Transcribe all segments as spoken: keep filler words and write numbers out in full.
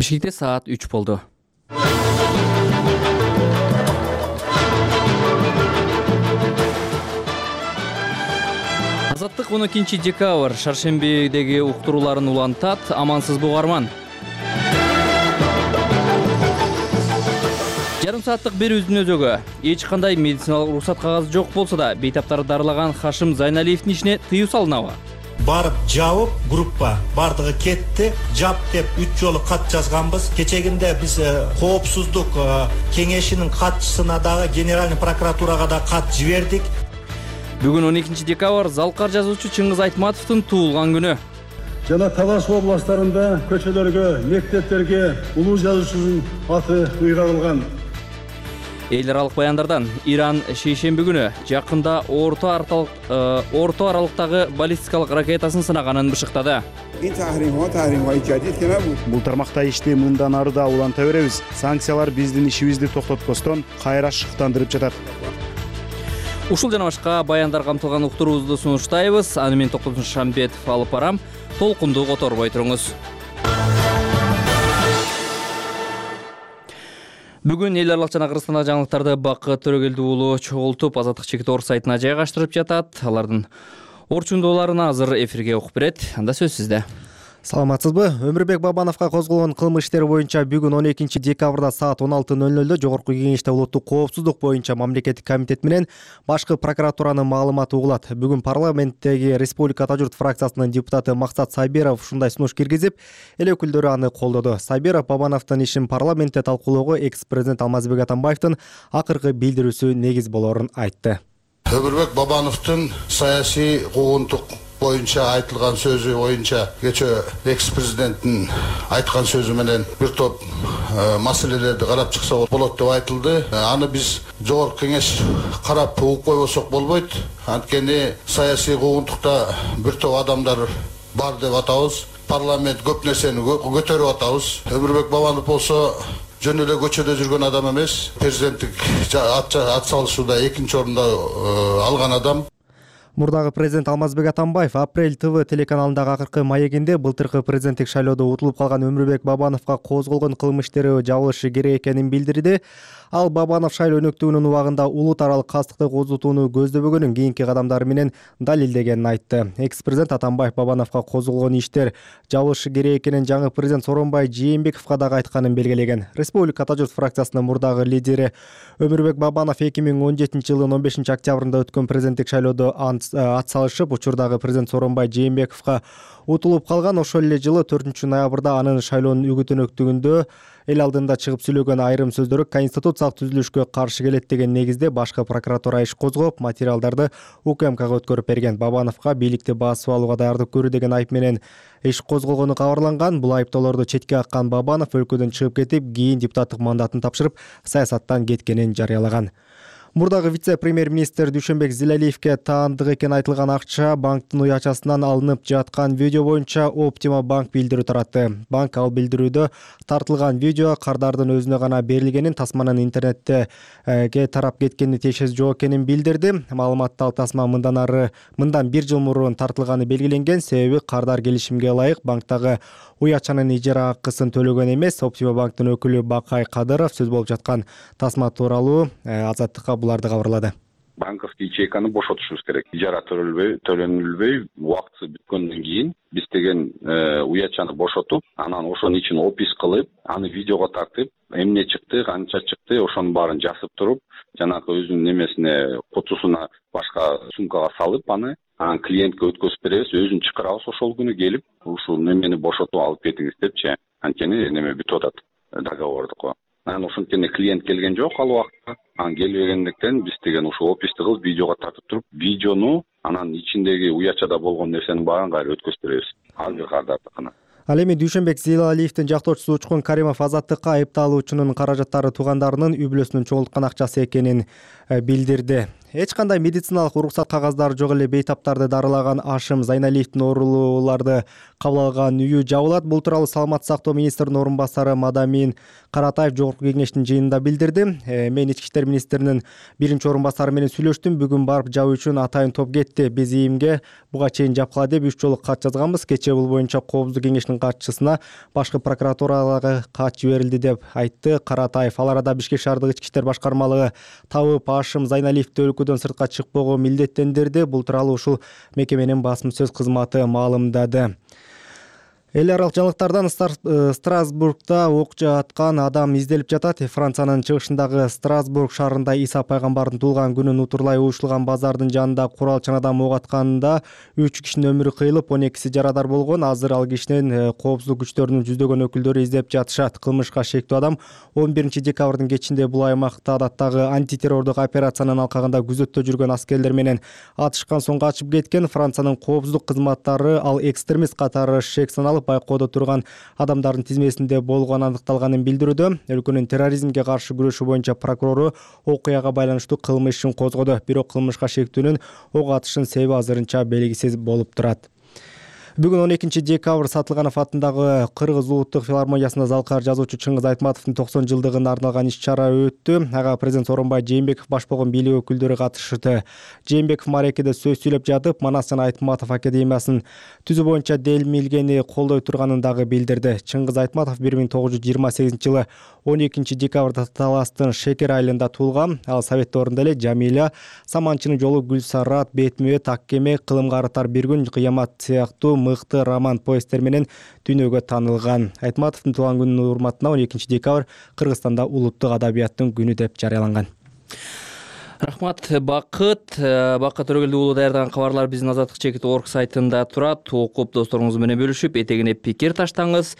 Бишкекте саат үч болду. Азаттык он экинчи декабрь шаршембидеги уктурууларын улантат. Амансыз бугарман. Жарым сааттык берүүбүздүн өзөгү эч кандай медициналык уруксат кагазы жок болсо да бейтаптарды дарылаган Хашим Зайналиевдин ишине тыюу салынабы? Барып жабып, группа бардыгы кетти. Жап деп үч жолу кат жазганбыз. Кечегинде биз коопсуздук кеңешинин катчысына дагы, генеральный прокуратурага да кат жибердик. Бүгүн он экинчи декабрь залкар жазуучу Чыңгыз Айтматовдун туулган күнү. Жана Талас областарында көчөлөргө, мектептерге улуу жазуучунун аты ыйгарылган. Эл аралык баяндардан Иран шейшемби күнү жакында орто аралык орто аралыктагы баллистикалык ракетасын сынаганын бышыктады. Бул тармакта ишти мындан ары да уланта беребиз. Санкциялар биздин ишибизди токтоткостон кайра шыктандырып жатат. Ушул жана башка баяндар камтылган уктуруубузду сунуштайбыз. Аны мен Токтогул Шамбетов алып барам. Толкунду которбой туруңуз. Бүгүн эл аралык жана Кыргызстандагы жаңылыктарды Бакыт Төрөгелди уулу чогултуп, Азаттык чекит орус сайтына жайгаштырып жатат. Алардын орчундууларын азыр эфирге окуп берет. Анда сөз сизде. Саламатсызбы? Өмүрбек Бабановго козголгон кылмыш иштери боюнча бүгүн он экинчи декабрда саат он алты ноль нольдо Жогорку Кеңеште улуттук коопсуздук боюнча мамлекеттик комитет менен башкы прокуратуранын маалыматы угулат. Бүгүн парламенттеги Республика Ата журт фракциясынын депутаты Максат Сайберов ушундай сунуш киргизип, эл өкүлдөрү аны колдоду. Сайберов Бабановдун ишин парламентте талкуулоого экс-президент Алмазбек Атамбаевдин акыркы билдирүүсү негиз болорун айтты. Өмүрбек Бабановдун саясий куугунтук боюнча айтылган сөзү боюнча кечээ экс-президенттин айткан сөзү менен бир топ маселелерди карап чыкса болот деп айтылды. Аны биз Жогорку Кеңеш карап угуп койбосок болбойт. Анткени саясий куугунтукта бир топ адамдар бар деп атабыз. Парламент көп нерсени көтөрүп атабыз. Өмүрбек Бабанов болсо жөн эле көчөдө жүргөн адам эмес. Президенттик ат салышууда экинчи орунда алган адам. Мурдагы президент Алмазбек Атамбаев Апрель ТВ телеканалындагы акыркы маегинде былтыркы президенттик шайлоодо утулуп калган Өмүрбек Бабановго козголгон кылмыш иштери жабылышы керек экенин билдирди. Ал Бабанов шайлоо өнөктүгүнүн убагында улут аралык кастыкты козутууну көздөбөгөнүн кийинки кадамдары менен далилдегенин айтты. Экс-президент Атамбаев Бабановго козголгон иштер жабылышы керек экенин жаңы президент Сооронбай Жээнбековго дагы айтканын белгилеген. Республика Ата журт фракциясынын мурдагы лидери Өмүрбек Бабанов эки миң он жетинчи жылдын он бешинчи октябрында өткөн президенттик шайлоодо ат салышып, учурдагы президент Сооронбай Жээнбековго утулуп калган. Ошол эле жылы төртүнчү ноябрда анын шайлоонун үгүт өнөктүгүндө эл алдында чыгып сүйлөгөн айрым сөздөрү конституциялык түзүлүшкө каршы келет деген негизде башкы прокуратура иш козгоп, материалдарды УКМКга өткөрүп берген. Бабановго бийликти басып алууга даярдык көрүү деген айып менен иш козголгону кабарланган. Бул айыптоолорду четке каккан Бабанов өлкөдөн чыгып кетип, кийин депутаттык мандатын тапшырып, саясаттан кеткенин жарыялаган. Мурдагы вице-премьер-министр Дүйшөнбек Зилалиевге таандык экени айтылган акча банктын уячасынан алынып жаткан видео боюнча Optima банк билдирүү таратты. Банк ал билдирүүдө тартылган видео кардардын өзүнө гана берилгенин, тасманын интернетте тарап кеткенин тиешеси жок экенин билдирди. Маалыматта ал тасма мындан ары мындан бир жыл мурун тартылганы белгиленген, себеби кардар келишимге ылайык банктагы уячанын ижара акысын төлөгөн эмес. Optima банктын өкүлү Бакай Кадыров сөз болуп жаткан тасма тууралуу Азаттыкка буларды кабарлады. Банковский ячейканы бошотушубуз керек. Ижара төлөнбөй, төлөнүлбөй, убакыты бүткөндөн кийин биз деген уячаны бошотуп, анан ошонун ичин опис кылып, аны видеого тартып, эмне чыкты, канча чыкты, ошонун баарын жазып туруп, жанагы өзүнүн немесине, кутусуна, башка сумкага салып, аны анан клиентке өткөзүп беребиз, өзүн чакырабыз ошол күнү келип, ушул немени бошотуп алып кетиңиз депчи. Анткени неме бүтүп атат, договордук. Анан ошонтени клиент келген жок ал убакта. Анан келбегендиктен биз деген ушул описти кылып видеого тартып туруп, видеону анан ичиндеги уячада болгон нерсенин баарын кайра өткөзүп беребиз. Азыр кардардыкына. Ал эми Дүйшөнбек Зилалиевдин жактоочусу Учкун Каримов Азаттыкка айыпталуучунун каражаттары туугандарынын үй бүлөсүнүн чогулткан акчасы экенин билдирди. Эч кандай медициналык уруксат кагаздары жок эле бейтаптарды дарылаган Ашым Зайналиевдин оорулууларды кабыл алган үйү жабылат. Бул тууралуу Саламаттык сактоо министринин орун басары Мадамин Каратаев жогорку кеңештин жыйынында билдирди. Мен ички иштер министринин биринчи орун басары менен сүйлөштүм. Бүгүн барып жабуу үчүн атайын топ кетти. Биз ийимге буга чейин жапкыла деп үч жолу кат жазганбыз. Кечээ бул боюнча Коопсуздук кеңешинин катчысына башкы прокуратурадагы кат жиберилди деп айтты Каратаев. Ал арада Бишкек шаардык ички иштер башкармалыгы табып Ашым Зайналиевди өлкөдөн сыртка чыкпоого милдеттендирди. Бул тууралуу ушул мекеменин басма сөз кызматы маалымдады. Эл аралык жаңылыктардан Страсбургда ок жаткан адам изделип жатат. Франциянын чыгышындагы Страсбург шаарында Иса пайгамбардын туулган күнүн утурлай уюштурулган базардын жанында курал чан адам ок атканында үч кишинин өмүрү кыйылып, он экиси жарадар болгон. Азыр ал кишинин коопсуздук күчтөрүнүн жүздөгөн өкүлдөрү издеп жатышат. Кылмышка шектүү адам он биринчи декабрдын кечинде бул аймакта адаттагы антитеррордук операциянын алкагында күзөттө жүргөн аскерлер менен атышкан соң качып кеткен. Франциянын коопсуздук кызматтары ал экстремист катары шек саналып байкоодо турган адамдардын тизмесинде болгону аныкталганын билдирүүдө. Өлкөнүн терроризмге каршы күрөшүү боюнча прокурору окуяга байланыштуу кылмыш ишин козгоду. Бирок кылмышка шектүүнүн ок атышынын себеби азырынча белгисиз болуп турат. Бүгүн он экинчи декабрь Сатылганов атындагы Кыргыз улуттук филармониясында залкар жазуучу Чыңгыз Айтматовдун токсон жылдыгына арналган иш-чара өттү. Ага президент Сооронбай Жээнбеков баш болгон бийлик өкүлдөрү катышты. Жээнбеков Марекеде сөз сүйлөп жатып, Манас жана Айтматов академиясын түзүү боюнча делмилгени колдой турганын дагы билдирди. Чыңгыз Айтматов бир миң тогуз жүз жыйырма сегизинчи жылы он экинчи декабрда Таластын Шекер айылында туулган. Ал Совет дöwрүндө эле Жамиля, Саманчынын жолу, Гүлсарат, Бетмебет, Аккеме, Кылымга арытар бир күн, Кыямат сыяктуу мыкты роман повесттер менен дүйнөгө таанылган. Айтматовдун туулган күнүнүн урматына он экинчи декабрь Кыргызстанда улуттук адабияттын күнү деп жарыяланган. Рахмат, Бакыт. Бакыт Төрөгелди уулу даярдаган кабарлар биздин Азаттык чекит орг сайтында турат. Окуп досторуңуз менен бөлүшүп, этегине пикир таштаңыз.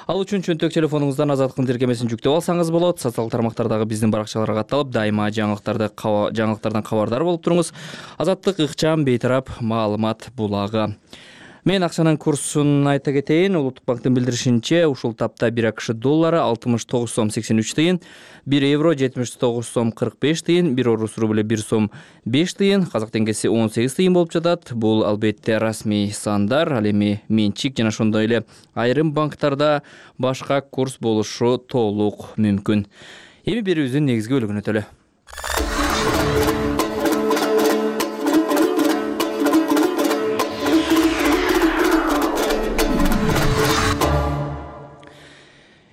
Ал үчүн чөнтөк телефонуңуздан Азаттыктын тиркемесин жүктөп алсаңыз болот. Социалдык тармактардагы биздин баракчаларга катталып, дайыма жаңылыктарды жаңылыктардан кабардар болуп туруңуз. Азаттык ыкчам бейтарап маалымат булагы. Мен акчанын курсун айта кетейин. Улуттук банктын билдиришинче, ушул тапта бир АКШ доллары алтымыш тогуз сом сексен үч тыйын, бир евро жетимиш тогуз сом кырк беш тыйын, бир орус рубль бир сом беш тыйын, казак теңгеси он сегиз тыйын болуп жатат. Бул албетте расмий сандар, ал эми менчик жана ошондой эле айрым банктарда башка курс болушу толук мүмкүн. Эми берүүбүздүн негизги бөлүгүнө өтөлү.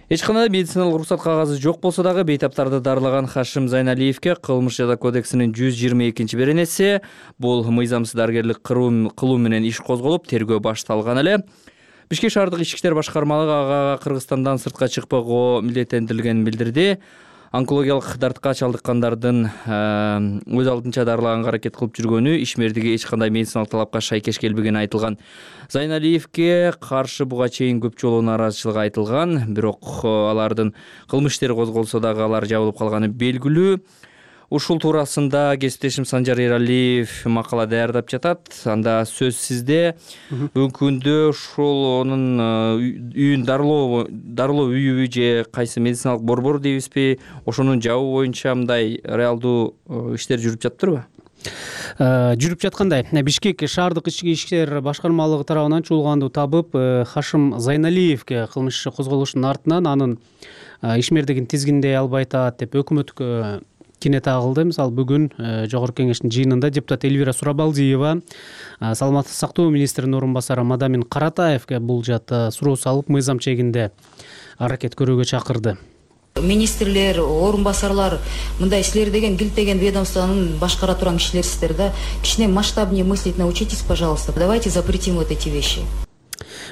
Эч кандай медициналык уруксат кагазы жок болсо дагы бейтаптарды дарылаган Ашым Зайналиевге кылмыш жаза кодексинин жүз жыйырма экинчи беренеси, бул мыйзамсыз дарыгерлик кылуу менен иш козголуп, тергөө башталган эле. Бишкек шаардык ички иштер башкармалыгы ага Кыргызстандан сыртка чыкпоого милдеттендирилгенин билдирди. Онкологиялык дартка чалдыккандардын өз алдынча дарылаганга аракет кылып жүргөнү ишмердиги эч кандай медициналык талапка шайкеш келбегени айтылган. Зайналиевге каршы буга чейин көп жолу нааразычылык айтылган, бирок алардын кылмыш иштери козголсо дагы алар жабылып калганы белгилүү. Ушул туурасында кесиптешим Санжар Эралиев макала даярдап жатат. Анда сөз сизде. Бүгүнкү күндө ушул онун үйүн дарылоо дарылоо үйүбү же кайсы медициналык борбор дейбизби, ошонун жабуу боюнча мындай реалдуу иштер жүрүп жатыптырбы? Жүрүп жаткандай. Бишкек шаардык ички иштер башкармалыгы тарабынан чуулганды табып, Ашым Зайналиевге кылмыш иши козголушунун артынан анын ишмердигин тизгиндей албай атат деп өкмөткө кине тагылды. Мисалы бүгүн жогорку кеңештин жыйынында депутат Эльвира Сурабалдиева Саламаттык сактоо министринин орун басары Мадамин Каратаевге бул жата суроо салып, мыйзам чегинде аракет көрүүгө чакырды. Министрлер, орун басарлар, мындай силер деген килтеген ведомствонун башкара турган кишилерсиздер да. Кичине масштабнее мыслить научитесь, пожалуйста. Давайте запретим вот эти вещи.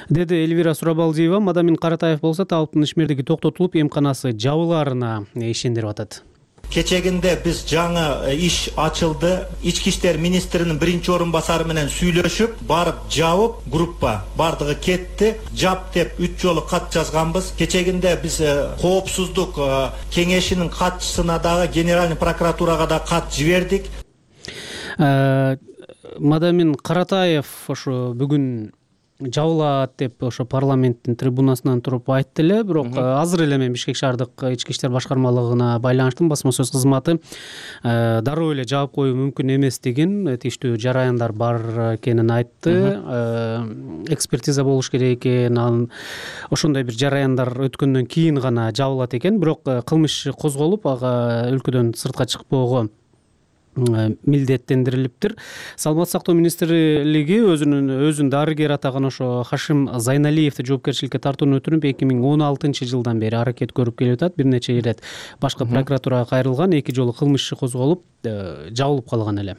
Деди Эльвира Сурабалдиева. Мадамин Каратаев болсо табыптын ишмердиги токтотулуп, эмканасы жабылаарына ишендирип атат. Кечегинде биз жаңы иш ачылды. Ички иштер министринин биринчи орун басары менен сүйлөшүп, барып жабып, группа бардыгы кетти. Жап деп үч жолу кат жазганбыз. Кечегинде биз коопсуздук кеңешинин катчысына дагы, генеральный прокуратурага да кат жибердик. Мадамин Каратаев ошо бүгүн жабылат деп ошо парламенттин трибунасынан туруп айтты эле. Бирок азыр эле мен Бишкек шаардык ички иштер башкармалыгына байланыштым. Басма сөз кызматы дароо эле жаап коюу мүмкүн эмес деген тийиштүү жараяндар бар экенин айтты. Экспертиза болуш керек экен, анан ошондой бир жараяндар өткөндөн кийин гана жабылат экен. Бирок кылмыш козголуп, ага өлкөдөн сыртка чыкпоого милдеттендирилиптир. Саламаттык сактоо министрлиги өзүнүн өзүн дарыгер атаган ошо Хашим Зайналиевди жоопкерчиликке тартууну өтүнүп эки миң он алтынчы жылдан бери аракет көрүп келип атат. Бир нече ирет башкы прокуратурага кайрылган, эки жолу кылмыш иши козголуп, жабылып калган эле.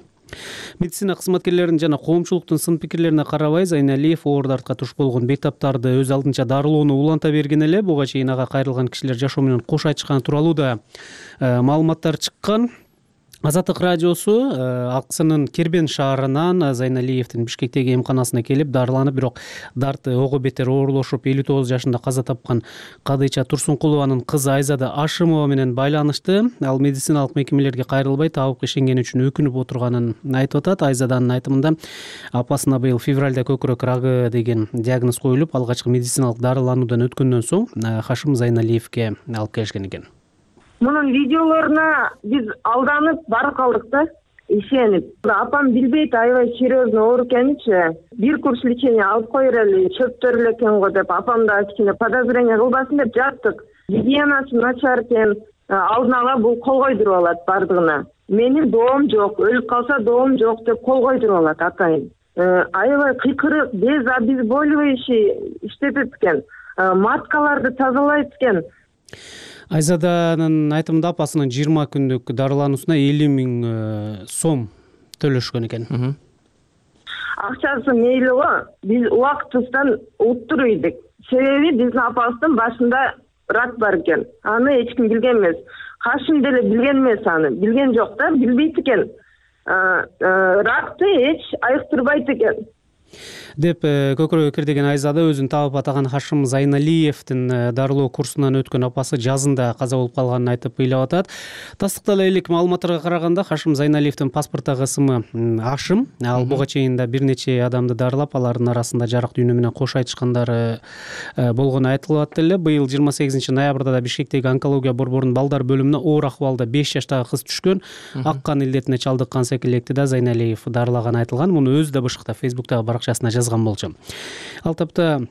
Медицина кызматкерлеринин жана коомчулуктун сын пикирлерине карабай, Зайналиев оор дартка туш болгон бейтаптарды өз алдынча дарылоону уланта берген эле. Буга чейин ага кайрылган кишилер жашоо менен кош айтышканы тууралуу да маалыматтар чыккан. Азаттык радиосу Аксынын Кербен шаарынан Зайналиевдин Бишкектеги эмканасына келип дарыланып, бирок дарты ого бетер оорлошуп элүү тогуз жашында каза тапкан Кадыйча Турсункулованын кызы Айзада Ашимова менен байланышты. Ал медициналык мекемелерге кайрылбай табып ишенгени үчүн өкүнүп отурганын айтып атат. Айзаданын айтымында апасына быйыл февралда көкүрөк рагы деген диагноз коюлуп, алгачкы медициналык дарылануудан өткөндөн соң Хашим Зайналиевге алып келишкен экен. Мунун видеолоруна биз алданып барып калдык да, ишенип. Апам билбейт аябай серьезно оор экенинчи. Бир курс лечение алып коер эле, чөптөр эле экен го деп, апам да кичине подозрение кылбасын деп жаттык. Гигиенасы начар экен, алдын ала бул кол койдуруп алат бардыгына. Менин доом жок, өлүп калса доом жок деп кол койдуруп алат атайын. Аябай кыйкырык, без обезболивающий иштетет экен, маскаларды тазалайт экен. Айзаданын айтымында апасынын жыйырма күндүк дарылануусуна элүү миң сом төлөшкөн экен. Акчасы мейли го, биз убактысынан уттуруп идик. Себеби биздин апабыздын башында рак бар экен. Аны эч ким билген эмес. Хашим деле билген эмес аны. Билген жок да, билбейт экен. Ракты эч айыктырбайт экен деп көкүрөгү кирдеген Айзада өзүн таап атаган Хашим Зайналиевдин дарылоо курсунан өткөн апасы жазында каза болуп калганын айтып ыйлап атат. Тастыктала элек маалыматтарга караганда Хашим Зайналиевдин паспорттогу ысымы Ашим. Ал буга чейин да бир нече адамды дарылап, алардын арасында жарык дүйнө менен кош айтышкандары болгону айтылып атты эле. Быйыл жыйырма сегизинчи ноябрда да Бишкектеги онкология борборунун балдар бөлүмүнө оор акыбалда беш жаштагы кыз түшкөн. Ак кан илдетине чалдыккан секилекти да Зайналиев дарылаганы айтылган. Муну өзү да бышыкта Фейсбуктагы баракчасына жазган болчу. Ал тапта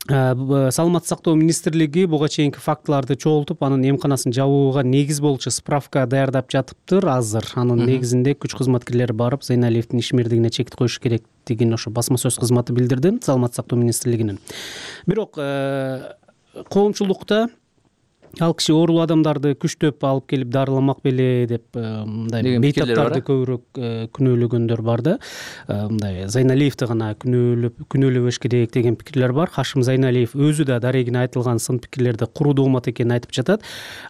Саламаттык сактоо министрлиги буга чейинки фактыларды чогултуп, анын эмканасын жабууга негиз болчу справка даярдап жатыптыр азыр. Анын негизинде күч кызматкерлери барып, Зайналиевдин ишмердигине чек коюш керектигин ошо басма сөз кызматы билдирди, Саламаттык сактоо министрлигинин. Бирок коомчулукта ал киши оорулуу адамдарды күчтөп алып келип дарыламак беле деп мындай бейтаптарды көбүрөөк күнөөлөгөндөр бар да. Мындай Зайналиевди гана күнөөлөп күнөөлөбөш керек деген пикирлер бар. Хашим Зайналиев өзү да дарегине айтылган сын пикирлерди куруу доомат экенин айтып жатат.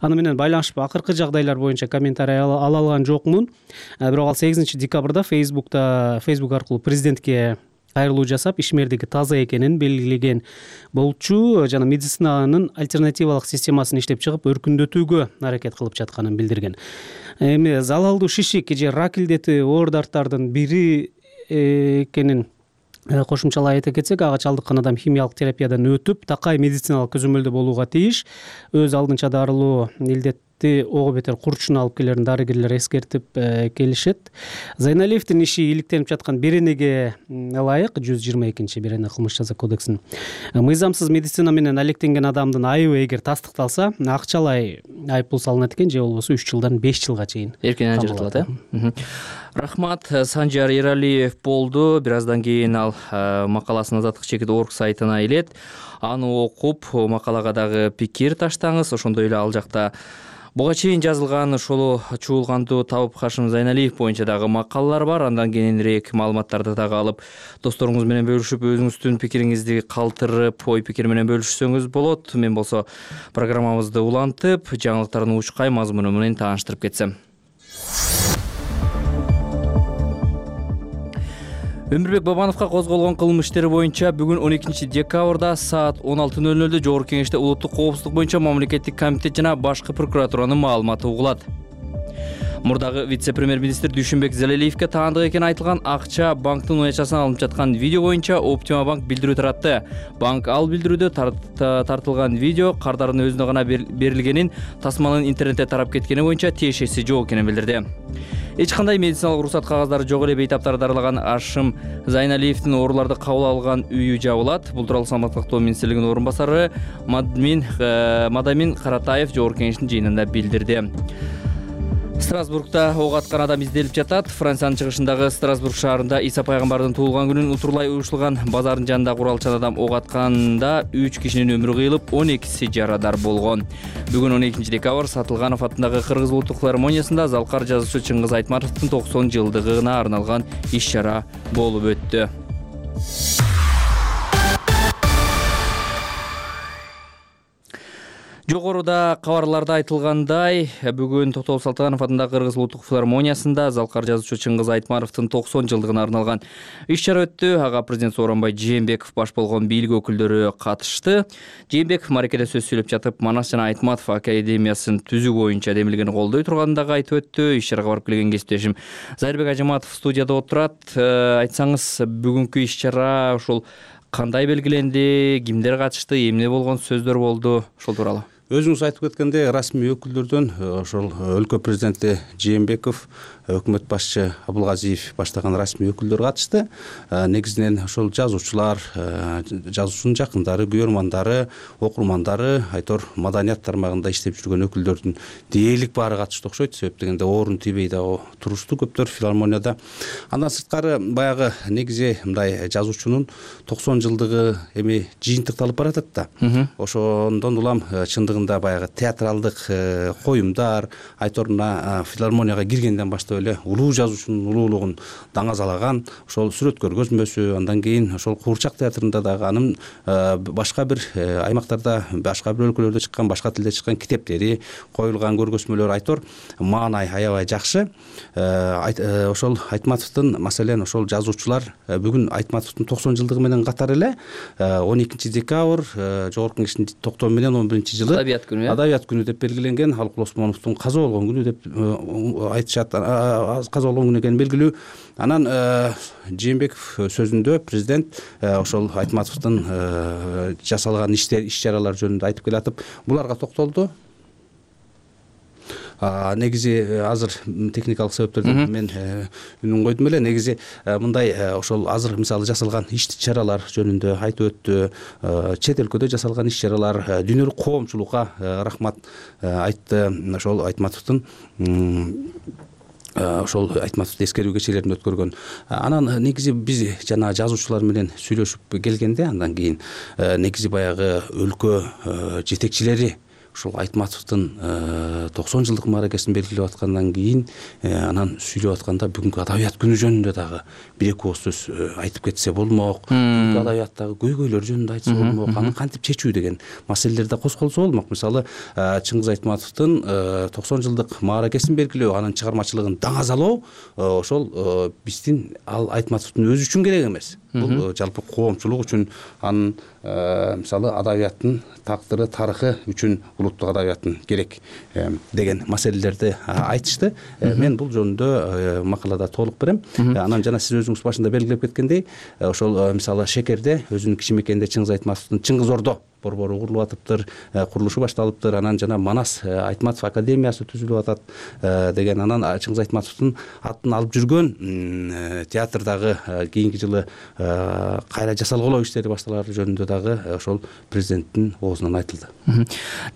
Аны менен байланышып акыркы жагдайлар боюнча комментарий ала алган жокмун. Бирок ал сегизинчи декабрда Фейсбукта Фейсбук аркылуу президентке кайрылуу жасап, ишмердиги таза экенин белгилеген болчу жана медицинанын альтернативалык системасын иштеп чыгып, өркүндөтүүгө аракет кылып жатканын билдирген. Эми залалдуу шишик же рак илдети оор дарттардын бири экенин кошумчалай айта кетсек, ага чалдыккан адам химиялык терапиядан өтүп, такай медициналык көзөмөлдө болууга тийиш. Өз алдынча дарылоо илдетти ого бетер курчуна алып келерин дарыгерлер эскертип келишет. Зайналиевдин иши иликтенип жаткан беренеге ылайык жүз жыйырма экинчи берене кылмыш жаза кодексинин мыйзамсыз медицина менен алектенген адамдын айыбы эгер тастыкталса, акчалай айыппул салынат экен, же болбосо үч жылдан беш жылга чейин эркинен ажыратылат, э? Рахмат. Санжар Эралиев болду. Бир аздан кийин ал макаласын Азаттык чекит орг сайтына илет. Аны окуп, макалага дагы пикир таштаңыз. Ошондой эле ал жакта буга чейин жазылган ошол чуулганду табып Хашим Зайналиев боюнча дагы макалалар бар. Андан кийинирээк маалыматтарды дагы алып, досторуңуз менен бөлүшүп, өзүңүздүн пикириңизди калтырып, ой пикир менен бөлүшсөңүз болот. Мен болсо программабызды улантып, жаңылыктардын учкай мазмуну менен тааныштырып кетсем. Өмүрбек Бабановго козголгон кылмыш иштери боюнча бүгүн он экинчи декабрда саат он алты ноль нольдо Жогорку Кеңеште улуттук коопсуздук боюнча мамлекеттик комитет жана башкы прокуратуранын маалыматы угулат. Мурдагы вице-премьер-министр Дүйшүнбек Зелелиевке таандык экени айтылган акча банктын уячасынан алынып жаткан видео боюнча Optima банк билдирүү таратты. Банк ал билдирүүдө тартылган видео кардардын өзүнө гана берилгенин, тасманын интернетте тарап кеткени боюнча тиешеси жок экенин билдирди. Эч кандай медициналык уруксат кагаздары жок эле бейтаптар дарылаган Ашым Зайналиевдин ооруларды кабыл алган үйү жабылат. Бул тууралуу Саламаттык сактоо министрлигинин орун басары Мадамин Мадамин Каратаев жогорку кеңештин жыйынында билдирди. Страсбургда ок аткан адам изделип жатат. Франциянын чыгышындагы Страсбург шаарында Иса пайгамбардын туулган күнүн утурлай уюштурулган базардын жанында куралчан адам ок атканда үч кишинин өмүрү кыйылып, он экиси жарадар болгон. Бүгүн он экинчи декабрь Сатылганов атындагы Кыргыз улуттук филармониясында Залкар жазуучу Чыңгыз Айтматовдун токсон жылдыгына арналган иш-чара болуп өттү. Жогоруда кабарларда айтылгандай, бүгүн Токтогул Салтыганов атындагы Кыргыз улуттук филармониясында Залкар жазуучу Чыңгыз Айтматовдун токсон жылдыгына арналган иш-чара өттү. Ага президент Сооронбай Жээнбеков баш болгон бийлик өкүлдөрү катышты. Жээнбеков мааракеде сөз сүйлөп жатып, Манас жана Айтматов академиясын түзүү боюнча демилгени колдой турганын дагы айтып өттү. Иш-чарага барып келген кесиптешим Зайырбек Ажыматов студияда отурат. Айтсаңыз, бүгүнкү иш-чара ушул кандай белгиленди, кимдер катышты, эмне болгон сөздөр болду, ошол тууралуу? Өзүңүз айтып кеткендей, расмий өкүлдөрдөн ошол өлкө президенти Жээнбеков, өкмөт башчы Абылгазиев баштаган расмий өкүлдөр катышты. Негизинен ошол жазуучулар, жазуучунун жакындары, күйөрмандары, окурмандары, айтор маданият тармагында иштеп жүргөн өкүлдөрдүн дээрлик баары катышты окшойт. Себеп дегенде орун тийбей дагы турушту көптөр филармонияда. Андан сырткары баягы негизи мындай жазуучунун токсон жылдыгы эми жыйынтыкталып баратат да. Ошондон улам чындыгында баягы театралдык коюмдар, айтор мына филармонияга киргенден баштап эле улуу жазуучунун улуулугун даңазалаган ошол сүрөткө көзмөсү, андан кийин ошол Куурчак театрында дагы анын башка бир аймактарда, башка бир өлкөлөрдө чыккан, башка тилде чыккан китептери, коюлган көргөзмөлөр айтор маанай аябай жакшы. Ошол Айтматовдун, маселен ошол жазуучулар бүгүн Айтматовдун токсон жылдыгы менен катар эле он экинчи декабрь жогорку кеңештин токтому менен он биринчи жылы Адабият күнү, Адабият күнү деп белгиленген. Алыкул Осмоновдун каза болгон күнү деп айтышат. Каза болгон күнү экени белгилүү. Анан Жээнбеков сөзүндө президент ошол Айтматовдун жасалган иштер, иш-чаралар жөнүндө айтып келатып, буларга токтолду. Негизи азыр техникалык себептерден мен үнүн койдум эле. Негизи мындай ошол азыр мисалы жасалган иш-чаралар жөнүндө айтып өттү. Чет өлкөдө жасалган иш-чаралар, дүйнөлүк коомчулукка рахмат айтты. Ошол Айтматовдун ошол Айтматовдун эскерүү кечелерин өткөргөн. Анан негизи биз жана жазуучулар менен сүйлөшүп келгенде, андан кийин негизи баягы өлкө жетекчилери ушул Айтматовдун токсон жылдык мааракесин белгилеп аткандан кийин анан сүйлөп атканда бүгүнкү Адабият күнү жөнүндө дагы бир эки ооз сөз айтып кетсе болмок. Бүгүнкү адабияттагы көйгөйлөр жөнүндө айтса болмок. Аны кантип чечүү деген маселелерде козголсо болмок. Мисалы Чыңгыз Айтматовдун токсон жылдык мааракесин белгилөө, анын чыгармачылыгын даңазалоо ошол биздин ал Айтматовдун өзү үчүн керек эмес. Бул жалпы коомчулук үчүн, анын мисалы адабияттын тактыры, тарыхы үчүн улуттук адабияттын керек деген маселелерди айтышты. Мен бул жөнүндө макалада толук берем. Анан жана сиз өзүңүз башында белгилеп кеткендей, ошол мисалы Шекерде өзүнүн кичимекенде Чыңгыз Айтматовдун Чыңгыз Ордо борбору курулуп атыптыр, курулушу башталыптыр. Анан жана Манас Айтматов академиясы түзүлүп атат деген. Анан Чыңгыз Айтматовдун атын алып жүргөн театрдагы кийинки жылы кайра жасалголоо иштери башталары жөнүндө дагы ошол президенттин оозунан айтылды.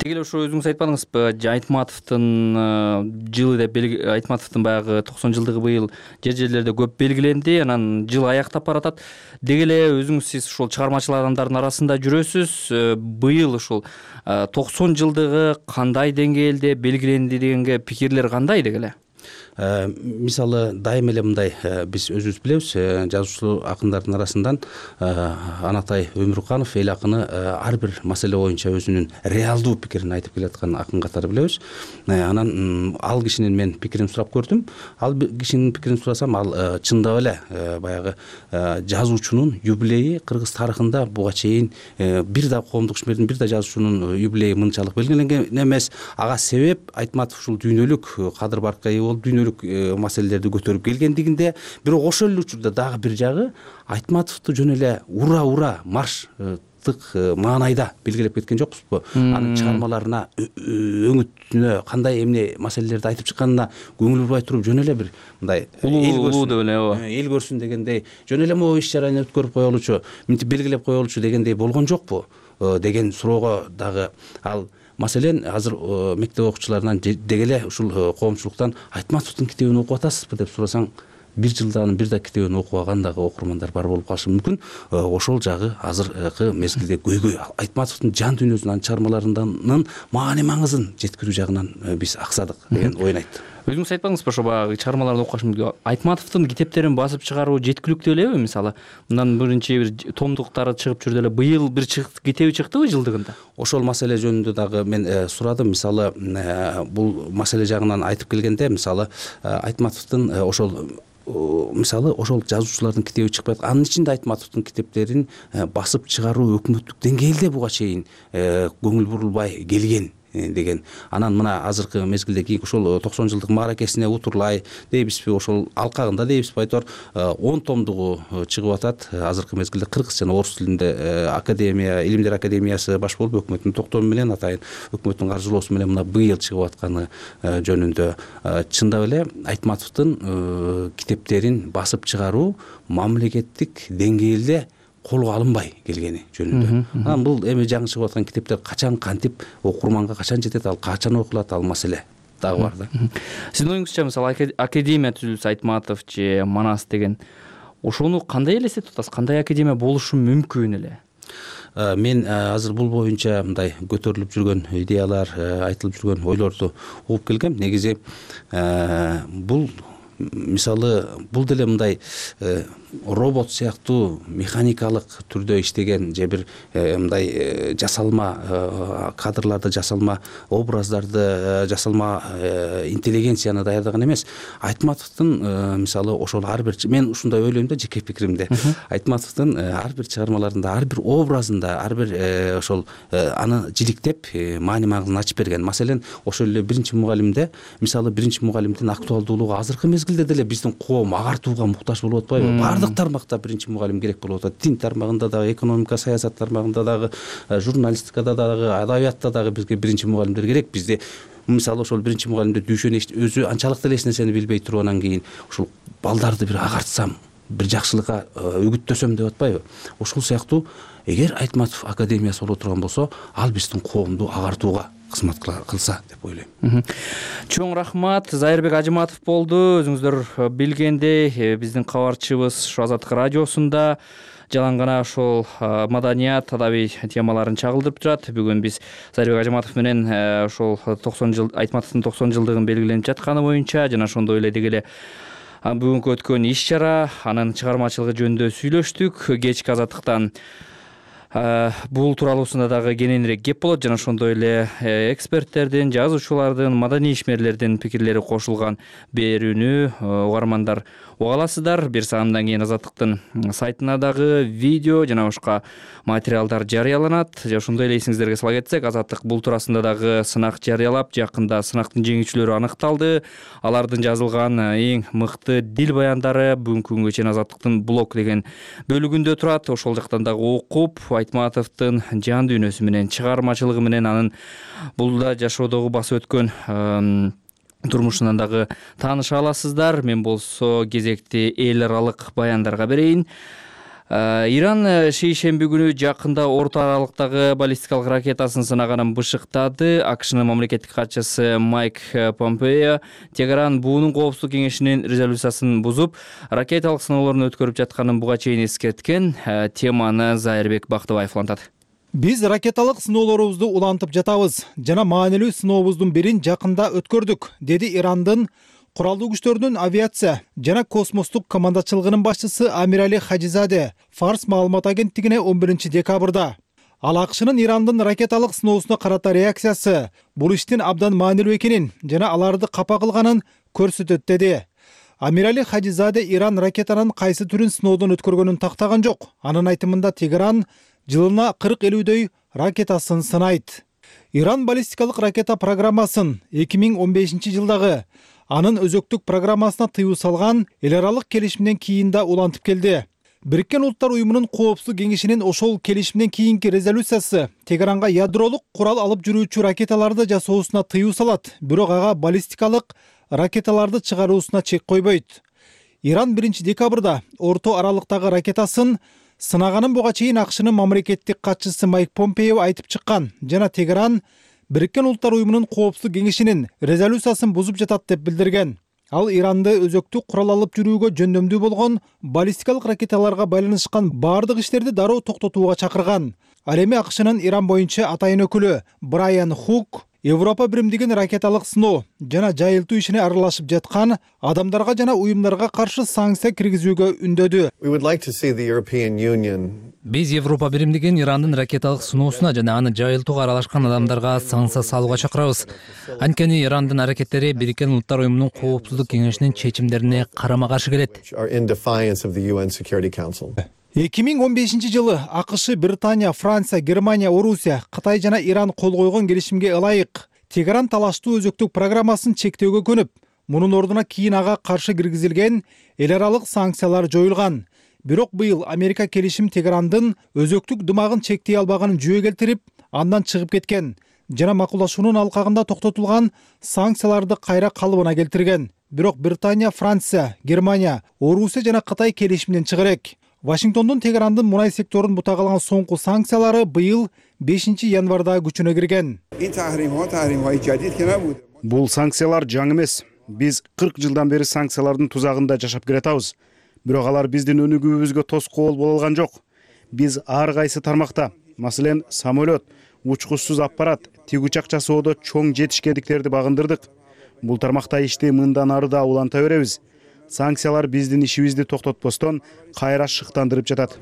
Теги эле ошо өзүңүз айтпадыңызбы, Айтматовдун жылы деп Айтматовдун баягы токсон жылдыгы быйыл жер жерлерде көп белгиленди. Анан жыл аяктап баратат. Деги эле өзүңүз сиз ушул чыгармачыл адамдардын арасында жүрөсүз. Быйыл ушул токсон жылдыгы кандай деңгээлде белгиленди дегенге пикирлер кандай деги эле? Мисалы дайыма эле мындай, биз өзүбүз билебиз, жазуучу акындардын арасынан Анатай Өмүрканов эл акыны ар бир маселе боюнча өзүнүн реалдуу пикирин айтып келаткан акын катары билебиз. Анан ал кишинин мен пикирин сурап көрдүм. Ал кишинин пикирин сурасам, ал чындап эле баягы жазуучунун юбилейи кыргыз тарыхында буга чейин бир да коомдук ишмердин, бир да жазуучунун юбилейи мынчалык белгиленген эмес. Ага себеп Айтматов ушул дүйнөлүк кадыр баркка ээ болду. ошол дүйнөлүк маселелерди көтөрүп келгендигинде, бирок ошол эле учурда дагы бир жагы Айтматовду жөн эле ура ура марш маанайда белгилеп кеткен жокпузбу. Анын чыгармаларына, өңүтүнө кандай эмне маселелерди айтып чыкканына көңүл бурбай туруп, жөн эле бир мындай улуу деп эле ооба эл көрсүн дегендей, жөн эле могу иш чараны өткөрүп коелучу, мынтип белгилеп коелучу дегендей болгон жокпу деген суроого дагы ал маселен азыр мектеп окуучуларынан деги эле ушул коомчулуктан Айтматовдун китебин окуп атасызбы деп сурасаң, бир жылдан бир да китебин окубаган дагы окурмандар бар болуп калышы мүмкүн. Ошол жагы азыркы мезгилде көйгөй. Айтматовдун жан дүйнөсүн, анын чыгармаларынын маани маңызын жеткирүү жагынан биз аксадык деген ойун айтты. Өзүңүз айтпаңызбы, ошо баягы чыгармаларды окуган Айтматовдун китептерин басып чыгаруу жеткиликтүү элеби? Мисалы, мындан биринчи бир томдуктары чыгып жүрдү эле. Быйыл бир китеби чыктыбы жылдыгында? Ошол маселе жөнүндө дагы мен сурадым. Мисалы, бул маселе жагынан айтып келгенде, мисалы, Айтматовдун ошол мисалы ошол жазуучулардын китеби чыкпайт. Анын ичинде Айтматовдун китептерин басып чыгаруу өкмөттүк деңгээлде буга чейин көңүл бурулбай келген деген. Анан мына азыркы мезгилде кийин ошол токсон жылдык мааракесине утурлай дейбизби, ошол алкагында дейбизби айтор, он томдугу чыгып атат. Азыркы мезгилде кыргыз жана орус тилинде академия, илимдер академиясы баш болуп өкмөттүн токтому менен, атайын өкмөттүн каржылоосу менен мына быйыл чыгып атканы жөнүндө чындап эле Айтматовдун китептерин басып чыгаруу мамлекеттик деңгээлде колго алынбай келгени жөнүндө. Анан бул эми жаңы чыгып аткан китептер качан кантип окурманга качан жетет, ал качан окулат, ал маселе дагы бар да. Сиздин оюңузча, мисалы, академия түзүлсө, Айтматов же Манас деген, ошону кандай элестетип атасыз? Кандай академия болушу мүмкүн эле? Мен азыр бул боюнча мындай көтөрүлүп жүргөн идеялар, айтылып жүргөн ойлорду угуп келгем. Негизи бул мисалы бул деле мындай робот сыяктуу механикалык түрдө иштеген же бир мындай жасалма кадрларды, жасалма образдарды, жасалма интеллигенцияны даярдаган эмес. Айтматовдун мисалы ошол ар бир, мен ушундай ойлойм да, жеке пикиримде. Айтматовдун ар бир чыгармаларында, ар бир образында, ар бир ошол аны жиликтеп маани маңызын ачып берген. Маселен, ошол эле биринчи мугалимде, мисалы биринчи мугалимдин актуалдуулугу азыркы мезгилде деле биздин коом агартууга муктаж болуп атпайбы? Бардык тармакта биринчи мугалим керек болуп атат. Дин тармагында дагы, экономика, саясат тармагында дагы, журналистикада дагы, адабиятта дагы бизге биринчи мугалимдер керек. Бизде мисалы ошол биринчи мугалимде дүйшөнү өзү анчалык деле эч нерсени билбей туруп, анан кийин ошол балдарды бир агартсам, бир жакшылыкка үгүттөсөм деп атпайбы? Ошол сыяктуу эгер Айтматов академиясы боло турган болсо, ал биздин коомду агартууга кызмат кылса деп ойлойм. Чоң рахмат. Зайырбек Ажыматов болду. Өзүңүздөр билгендей, биздин кабарчыбыз ушу Азаттык радиосунда жалаң гана ошол маданият, адабий темаларын чагылдырып турат. Бүгүн биз Зайырбек Ажыматов менен ошол токсон жыл Айтматовдун токсон жылдыгын белгиленип жатканы боюнча жана ошондой эле деги эле бүгүнкү өткөн иш чара, анын чыгармачылыгы жөнүндө сүйлөштүк. Кечки Азаттыктан бул тууралуусунда дагы кененирээк кеп болот, жана ошондой эле эксперттердин, жазуучулардын, маданий ишмерлердин пикирлери кошулган берүүнү угармандар уга аласыздар. Бир саамдан кийин Азаттыктын сайтына дагы видео жана башка материалдар жарыяланат. Ошондой эле эсиңиздерге сала кетсек, Азаттык бул туурасында дагы сынак жарыялап, жакында сынактын жеңүүчүлөрү аныкталды. Алардын жазылган эң мыкты дил баяндары бүгүнкү күнгө чейин Азаттыктын блог деген бөлүгүндө турат. Ошол жактан дагы окуп, Айтматовдун жан дүйнөсү менен, чыгармачылыгы менен, анын булда жашоодогу басып өткөн турмушунан дагы тааныша аласыздар. Мен болсо кезекти эл аралык баяндарга берейин. Иран шейшемби күнү жакында орто аралыктагы баллистикалык ракетасын сынаганын бышыктады. АКШнын мамлекеттик катчысы Майк Помпео Тегеран буунун коопсуздук кеңешинин резолюциясын бузуп, ракеталык сыноолорун өткөрүп жатканын буга чейин эскерткен. Теманы Зайырбек Бактыбаев улантат. Биз ракеталык сыноолорубузду улантып жатабыз жана маанилүү сынообуздун бирин жакында өткөрдүк, деди Ирандын Куралдуу күчтөрдүн авиация жана космостук командачылыгынын башчысы Амирали Хаджизаде Фарс маалымат агенттигине он биринчи декабрда. Ал АКШнын Ирандын ракеталык сыноосуна карата реакциясы бул иштин абдан маанилүү экенин жана аларды капа кылганын көрсөтөт, деди. Амирали Хаджизаде Иран ракетанын кайсы түрүн сыноодон өткөргөнүн тактаган жок. Анын айтымында Тегеран жылына кырк элүүдөй ракетасын сынайт. Иран баллистикалык ракета программасын эки миң он бешинчи жылдагы анын өзөктүк программасына тыюу салган эл аралык келишимден кийин да улантып келди. Бириккен Улуттар уюмунун коопсуздук кеңешинин ошол келишимден кийинки резолюциясы Тегеранга ядролук курал алып жүрүүчү ракеталарды жасоосуна тыюу салат, бирок ага баллистикалык ракеталарды чыгаруусуна чек койбойт. Иран биринчи декабрда орто аралыктагы ракетасын сынаганын буга чейин АКШнын мамлекеттик катчысы Майк Помпео айтып чыккан жана Тегеран Бириккен Улуттар уюмунун коопсуздук кеңешинин резолюциясын бузуп жатат деп билдирген. Ал Иранды өзөктүк курал алып жүрүүгө жөндөмдүү болгон баллистикалык ракеталарга байланышкан бардык иштерди дароо токтотууга чакырган. Ал эми АКШнын Иран боюнча атайын өкүлү Брайан Хук Европа биримдигин ракеталык сыноо жана жайылтуу ишине аралашып жаткан адамдарга жана уюмдарга каршы санкция киргизүүгө үндөдү. Биз Европа биримдигин Ирандын ракеталык сыноосуна жана аны жайылтууга аралашкан адамдарга санкция салууга чакырабыз. Анткени Ирандын аракеттери Бириккен Улуттар уюмунун коопсуздук кеңешинин чечимдерине карама каршы келет. эки миң он бешинчи жылы АКШ, Британия, Франция, Германия, Орусия, Кытай жана Иран кол койгон келишимге ылайык Тегеран талаштуу өзөктүк программасын чектөөгө көнүп, мунун ордуна кийин ага каршы киргизилген эл аралык санкциялар жоюлган. Бирок быйыл Америка келишим Тегерандын өзөктүк дымагын чектей албаганын жүйө келтирип, андан чыгып кеткен жана макулдашуунун алкагында токтотулган санкцияларды кайра калыбына келтирген. Бирок Британия, Франция, Германия, Орусия жана Кытай келишимден чыга элек. Вашингтондун Тегерандын мунай секторун бутак алган соңку санкциялары быйыл бешинчи январда күчүнө кирген. Бул санкциялар жаңы эмес. Биз кырк жылдан бери санкциялардын тузагында жашап келатабыз. Бирок алар биздин өнүгүүбүзгө тоскоол боло алган жок. Биз ар кайсы тармакта, маселен, самолет, учкучсуз аппарат, тигүчак жасоодо чоң жетишкендиктерди багындырдык. Бул тармакта ишти мындан ары да уланта беребиз. Санкциялар биздин ишибизди токтотпостон кайра шыктандырып жатат.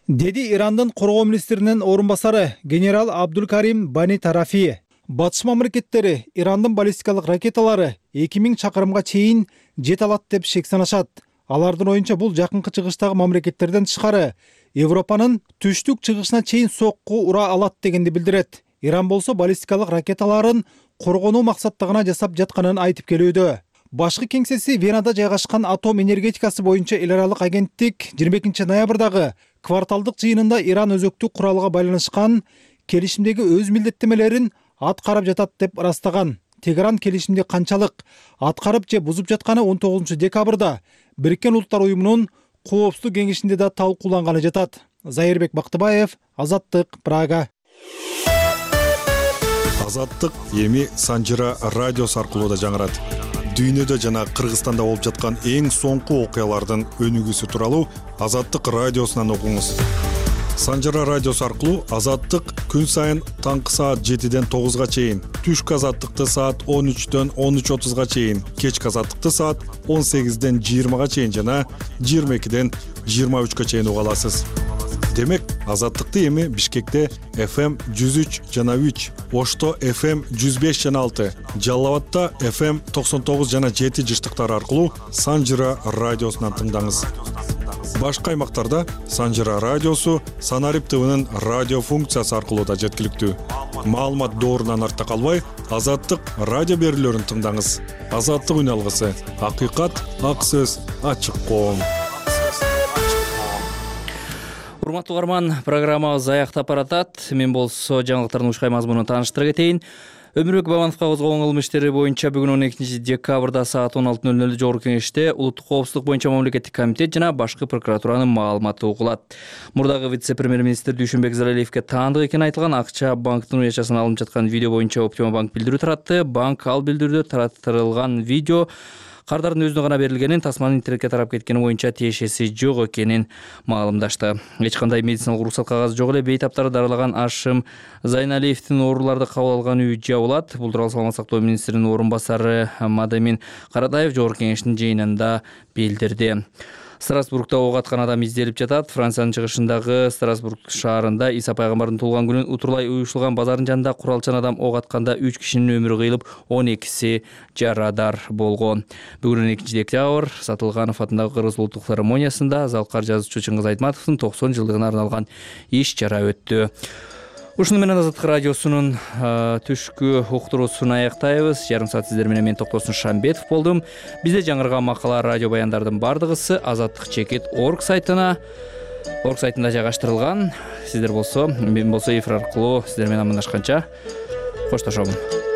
Деди Ирандын коргоо министринин орун басары генерал Абдулкарим Бани Тарафи. Батыш мамлекеттери Ирандын баллистикалык ракеталары эки миң чакырымга чейин жете алат деп шек санашат. Алардын оюнча бул жакынкы чыгыштагы мамлекеттерден тышкары Европанын түштүк чыгышына чейин сокку ура алат дегенди билдирет. Иран болсо баллистикалык ракеталарын коргонуу максаттагына жасап жатканын айтып келүүдө. Башкы кеңсеси Венада жайгашкан атом энергетикасы боюнча эл аралык агенттик жыйырма экинчи ноябрдагы кварталдык жыйынында Иран өзөктүк куралга байланышкан келишимдеги өз милдеттемелерин аткарып жатат деп ырастаган. Тегеран келишимди канчалык аткарып же бузуп жатканы он тогузунчу декабрда Бириккен Улуттар уюмунун коопсуздук кеңешинде да талкууланганы жатат. Зайырбек Бактыбаев, Азаттык, Прага. Азаттык эми Санжыра радиосу аркылуу да жаңырат. Дүйнөдө жана Кыргызстанда болуп жаткан эң соңку окуялардын өнүгүүсү тууралуу Азаттык радиосунан окуңуз. Санжыра радиосу аркылуу Азаттык күн сайын таңкы саат жетиден тогузга чейин, түшкү Азаттыкты саат он үчтөн он үч отузга чейин, кечки Азаттыкты саат он сегизден жыйырмага чейин жана жыйырма экиден жыйырма үчкө чейин уга аласыз. Демек, Азаттыкты эми Бишкекте эф эм жүз үч жана үч, Ошто эф эм жүз беш жана алты, Жалал Абадта эф эм токсон тогуз жана жети жыштыктары аркылуу Санжыра радиосунан тыңдаңыз. Башка аймактарда Санжыра радиосу Санарип ТВнын радио функциясы аркылуу да жеткиликтүү. Маалымат доорунан артта калбай, Азаттык радио берүүлөрүн тыңдаңыз. Азаттык үн алгысы, акыйкат, ак сөз, ачык коом. Урматтуу угарман, программабыз аяктап баратат. Мен болсо жаңылыктардын ушкай мазмунун тааныштыра кетейин. Өмүрбек Бабановго козголгон кылмыш иштери боюнча бүгүн он экинчи декабрда саат он алты ноль нөлдө Жогорку Кеңеште Улуттук коопсуздук боюнча мамлекеттик комитет жана башкы прокуратуранын маалыматы угулат. Мурдагы вице-премьер-министр Дүйшөнбек Залалиевге таандык экени айтылган Акча банктын уячасынан алынып жаткан видео боюнча Оптима банк билдирүү таратты. Банк ал билдирүүдө тараттырылган видео кардардын өзүнө гана берилгенин, тасманын интернетке тарап кеткени боюнча тиешеси жок экенин маалымдашты. Эч кандай медициналык уруксат кагазы жок эле бейтаптарды дарылаган Ашым Зайналиевдин ооруларды кабыл алган үйү жабылат. Бул тууралуу саламаттык сактоо министринин орун басары Мадамин Каратаев Жогорку Кеңештин жыйынында билдирди. Страсбургда ок аткан адам изделип жатат. Франциянын чыгышындагы Страсбург шаарында Иса пайгамбардын туулган күнүн утурлай уюшулган базардын жанында куралчан адам ок атканда үч кишинин өмүрү кыйылып, он экиси жарадар болгон. Бүгүн он экинчи декабрь Сатылганов атындагы Кыргыз улуттук филармониясында Залкар жазуучу Чыңгыз Айтматовдун токсон жылдыгына арналган иш чара өттү. Ушуну менен Азаттык радиосунун түшкү уктуруусун аяктайбыз. Жарым саат сиздер менен мен Токтосун Шамбетов болдум. Бизде жаңырган макала, радио баяндардын бардыгысы азаттык чекит орг сайтына орг сайтында жайгаштырылган. Сиздер болсо, мен болсо эфир аркылуу сиздер менен амандашканча коштошомун.